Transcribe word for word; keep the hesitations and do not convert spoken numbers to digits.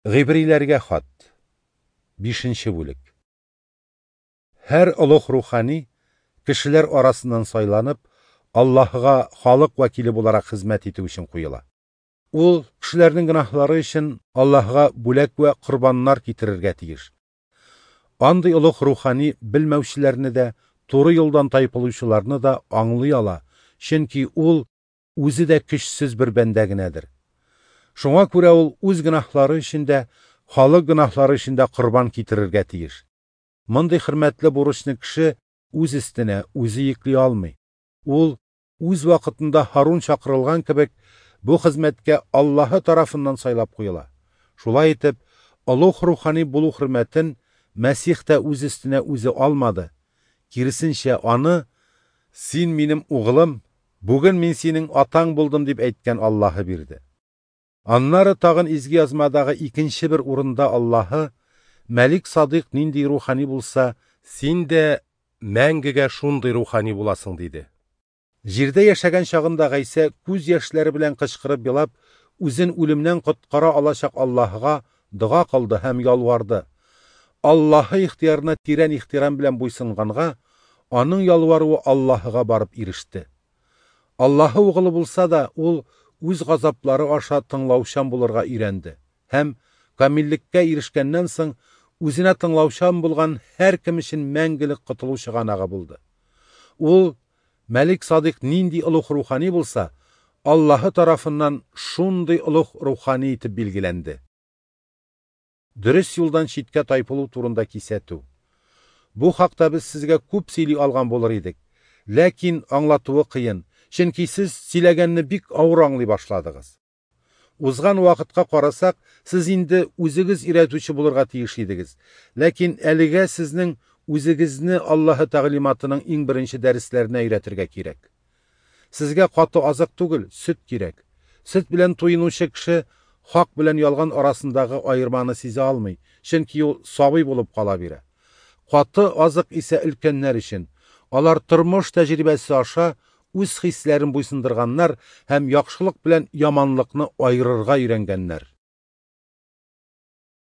Гыйбриләргә хат. Бишенче бүлек. Һәр олуг рухани кешеләр арасыннан сайланып, Аллаһыга халык вәкиле буларак хезмәт итү өчен куела. Ул кешеләрнең гөнаһлары өчен Аллаһыга бүләк вә корбаннар китерергә тиеш. Андый олуг рухани белмәүчеләрне дә, туры юлдан тайпылучыларны да аңлый ала, чөнки ул үзе дә көчсез бер бәндә генәдер. Шуңа күрә ул үз гөнаһлары өчен дә, халык гөнаһлары өчен дә корбан китерергә тиеш. Мондый хөрмәтле бурычны кеше үз өстенә үзе йөкли алмый. Ул үз вакытында Һарун чакырылган кебек бу хезмәткә Аллаһы тарафыннан сайлап куела. Шулай итеп, олуг рухани булу хөрмәтен Мәсих тә үз өстенә үзе алмады. Киресенчә, аны «Син минем углым, бүген мин синең атаң булдым» дип әйткән Аллаһы бирде. Аннары тагын изге язмадагы икенче бер урында Аллаһы Мәлик Садыйк нинди рухани булса, син дә мәңгегә шундый рухани буласың диде. Җирдә яшәгән чагында Гайсә күз яшьләре белән кычкырып елап, үзен үлемнән коткара алачак Аллаһыга дога кылды һәм ялварды. Аллаһы ихтиярына тирән ихтирам белән буйсынганга, аның ялваруы Аллаһыга барып иреште. Аллаһы угылы булса да, ул үз газаплары аша тыңлаучан булырга өйрәнде һәм камиллеккә ирешкәннән соң үзенә тыңлаучан булган һәр кем өчен мәңгелек котылу чыганагы булды. Ул Мәлик Садыйк нинди олуг рухани булса, Аллаһы тарафыннан шундый олуг рухани итеп билгеләнде. Дөрес юлдан читкә тайпылу турында кисәтү. Бу хакта без сезгә күп сөйли алган булыр идек. Ләкин аңлатуы кыен, чөнки сез сөйләгәнне бик авыр аңлый башладыгыз. Узган вакытка карасак, сез инде үзегез өйрәтүче булырга тиеш идегез. Ләкин әлегә сезнең үзегезне Аллаһы тәгълиматының иң беренче дәресләренә өйрәтергә кирәк. Сезгә каты азык түгел, сөт кирәк. Сөт белән туенучы кеше хак белән ялган арасындагы аерманы сизә алмый, чөнки ул сабый булып кала бирә. Каты азык исә өлкәннәр өчен. Алар тормыш тәҗрибәсе аша үз хисләрен буйсындырганнар һәм яхшылык белән яманлыкны айырырга өйрәнгәннәр.